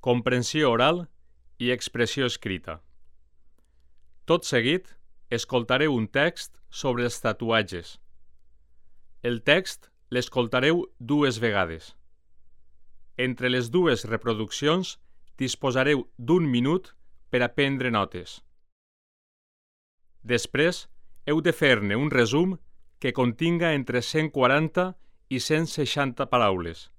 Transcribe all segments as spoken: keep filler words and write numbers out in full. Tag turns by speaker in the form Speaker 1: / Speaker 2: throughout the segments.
Speaker 1: comprensió oral i expressió escrita. Tot seguit, escoltareu un text sobre els tatuatges. El text l'escoltareu dues vegades. Entre les dues reproduccions disposareu d'un minut per a prendre notes. Després, heu de fer-ne un resum que continga entre cent quaranta i cent seixanta paraules.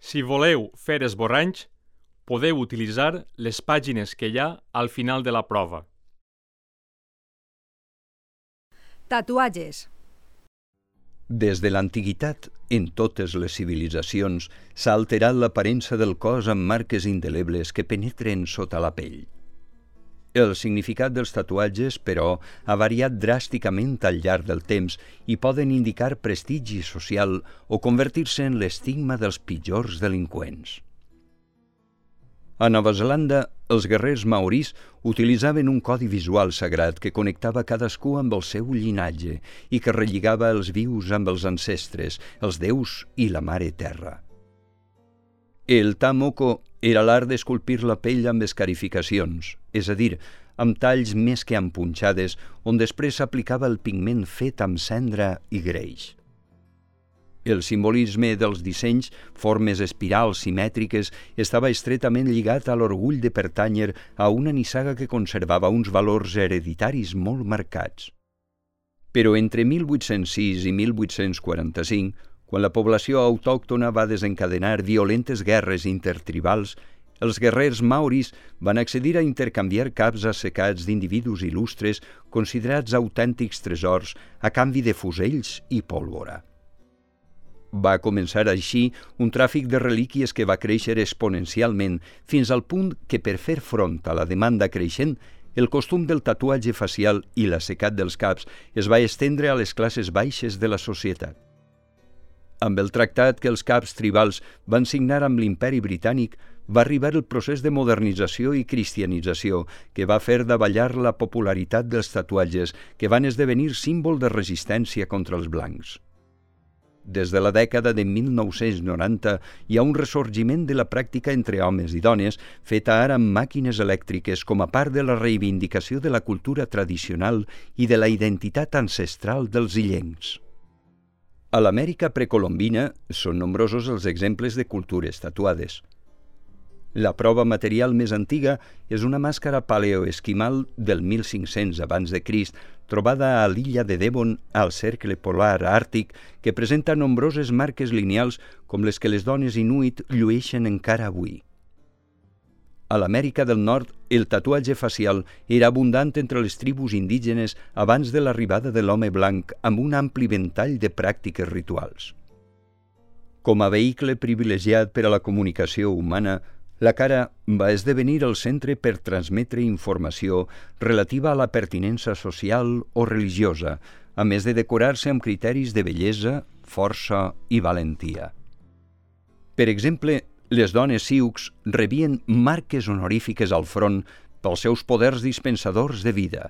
Speaker 1: Si voleu fer esborranys, podeu utilitzar les pàgines que hi ha al final de la prova.
Speaker 2: Tatuatges.
Speaker 3: Des de l'antiguitat, en totes les civilitzacions, s'ha alterat l'aparença del cos amb marques indelebles que penetren sota la pell. El significat dels tatuatges, però, ha variat dràsticament al llarg del temps i poden indicar prestigi social o convertir-se en l'estigma dels pitjors delinqüents. A Nova Zelanda, els guerrers maoris utilitzaven un codi visual sagrat que connectava cadascú amb el seu llinatge i que relligava els vius amb els ancestres, els déus i la mare terra. El tamoko era l'art d'esculpir la pell amb escarificacions, és a dir, amb talls més que amb punxades, on després s'aplicava el pigment fet amb cendra i greix. El simbolisme dels dissenys, formes espirals simètriques, estava estretament lligat a l'orgull de pertànyer a una nissaga que conservava uns valors hereditaris molt marcats. Però entre mil vuit-cents sis i mil vuit-cents quaranta-cinc, quan la població autòctona va desencadenar violentes guerres intertribals, els guerrers maoris van accedir a intercanviar caps assecats d'individus il·lustres considerats autèntics tresors a canvi de fusells i pólvora. Va començar així un tràfic de relíquies que va créixer exponencialment fins al punt que, per fer front a la demanda creixent, el costum del tatuatge facial i l'assecat dels caps es va estendre a les classes baixes de la societat. Amb el tractat que els caps tribals van signar amb l'Imperi Britànic, va arribar el procés de modernització i cristianització que va fer davallar la popularitat dels tatuatges, que van esdevenir símbol de resistència contra els blancs. Des de la dècada de mil nou-cents noranta hi ha un ressorgiment de la pràctica entre homes i dones, feta ara amb màquines elèctriques com a part de la reivindicació de la cultura tradicional i de la identitat ancestral dels illencs. A l'Amèrica precolombina són nombrosos els exemples de cultures tatuades. La prova material més antiga és una màscara paleoesquimal del mil cinc-cents abans de Crist, trobada a l'illa de Devon, al cercle polar àrtic, que presenta nombroses marques lineals com les que les dones inuit llueixen encara avui. A l'Amèrica del Nord, el tatuatge facial era abundant entre les tribus indígenes abans de l'arribada de l'home blanc amb un ampli ventall de pràctiques rituals. Com a vehicle privilegiat per a la comunicació humana, la cara va esdevenir el centre per transmetre informació relativa a la pertinença social o religiosa, a més de decorar-se amb criteris de bellesa, força i valentia. Per exemple, les dones sioux rebien marques honorífiques al front pels seus poders dispensadors de vida.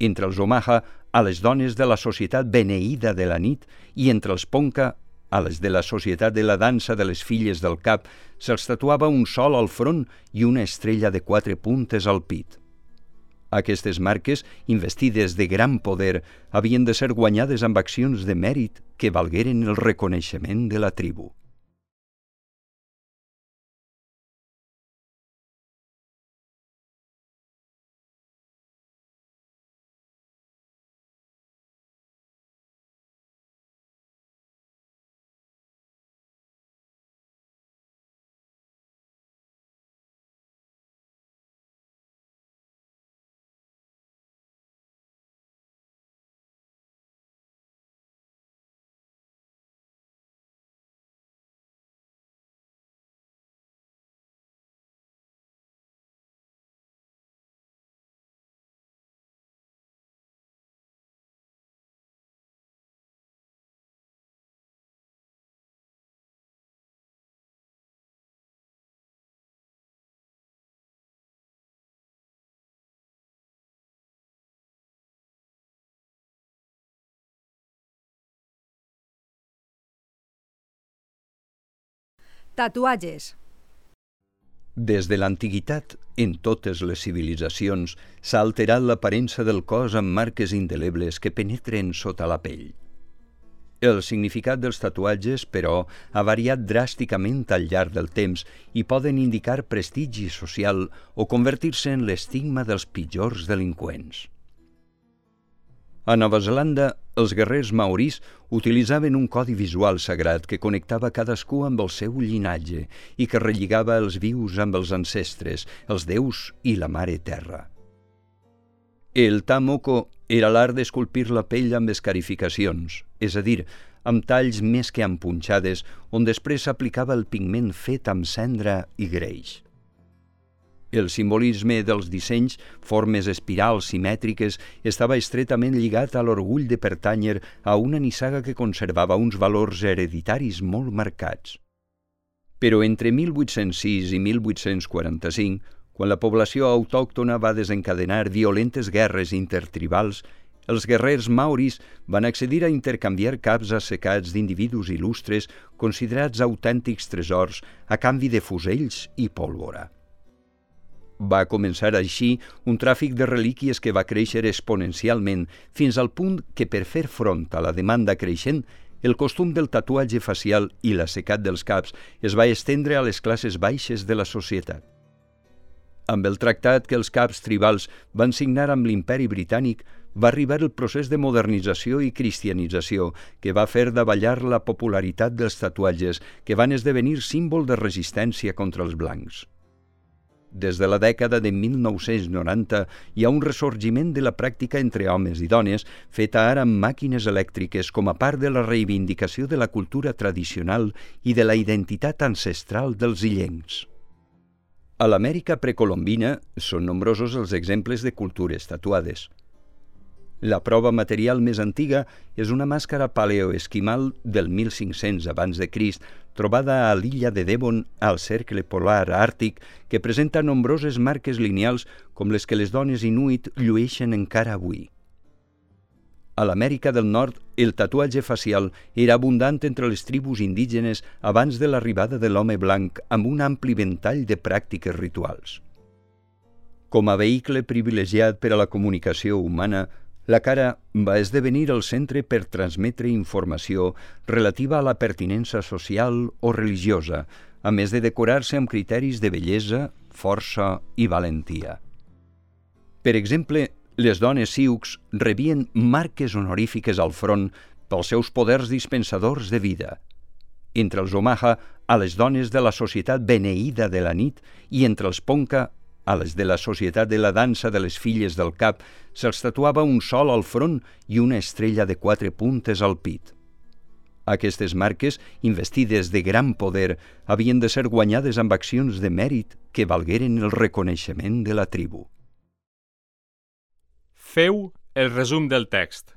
Speaker 3: Entre els Omaha, a les dones de la societat beneïda de la nit, i entre els Ponca, a les de la societat de la dansa de les filles del cap, se'ls tatuava un sol al front i una estrella de quatre puntes al pit. Aquestes marques, investides de gran poder, havien de ser guanyades amb accions de mèrit que valgueren el reconeixement de la tribu.
Speaker 2: Tatuatges.
Speaker 3: Des de l'antiguitat, en totes les civilitzacions, s'ha alterat l'aparença del cos amb marques indelebles que penetren sota la pell. El significat dels tatuatges, però, ha variat dràsticament al llarg del temps i poden indicar prestigi social o convertir-se en l'estigma dels pitjors delinqüents. A Nova Zelanda, els guerrers maoris utilitzaven un codi visual sagrat que connectava cadascú amb el seu llinatge i que relligava els vius amb els ancestres, els déus i la mare terra. El tamoko era l'art d'esculpir la pell amb escarificacions, és a dir, amb talls més que empunxades, on després s'aplicava el pigment fet amb cendra i greix. El simbolisme dels dissenys, formes espirals simètriques, estava estretament lligat a l'orgull de pertànyer a una nissaga que conservava uns valors hereditaris molt marcats. Però entre mil vuit-cents sis i mil vuit-cents quaranta-cinc, quan la població autòctona va desencadenar violentes guerres intertribals, els guerrers maoris van accedir a intercanviar caps assecats d'individus il·lustres considerats autèntics tresors a canvi de fusells i pólvora. Va començar així un tràfic de relíquies que va créixer exponencialment fins al punt que, per fer front a la demanda creixent, el costum del tatuatge facial i l'assecat dels caps es va estendre a les classes baixes de la societat. Amb el tractat que els caps tribals van signar amb l'Imperi Britànic, va arribar el procés de modernització i cristianització que va fer davallar la popularitat dels tatuatges, que van esdevenir símbol de resistència contra els blancs. Des de la dècada de mil nou-cents noranta hi ha un ressorgiment de la pràctica entre homes i dones, feta ara amb màquines elèctriques com a part de la reivindicació de la cultura tradicional i de la identitat ancestral dels illencs. A l'Amèrica precolombina són nombrosos els exemples de cultures tatuades. La prova material més antiga és una màscara paleoesquimal del mil cinc-cents abans de Crist, trobada a l'illa de Devon, al cercle polar àrtic, que presenta nombroses marques lineals com les que les dones inuit llueixen encara avui. A l'Amèrica del Nord, el tatuatge facial era abundant entre les tribus indígenes abans de l'arribada de l'home blanc, amb un ampli ventall de pràctiques rituals. Com a vehicle privilegiat per a la comunicació humana, la cara va esdevenir el centre per transmetre informació relativa a la pertinença social o religiosa, a més de decorar-se amb criteris de bellesa, força i valentia. Per exemple, les dones sioux rebien marques honorífiques al front pels seus poders dispensadors de vida. Entre els Omaha, a les dones de la societat beneïda de la nit, i entre els Ponca, a les de la societat de la dansa de les filles del cap, se'ls tatuava un sol al front i una estrella de quatre puntes al pit. Aquestes marques, investides de gran poder, havien de ser guanyades amb accions de mèrit que valgueren el reconeixement de la tribu.
Speaker 1: Feu el resum del text.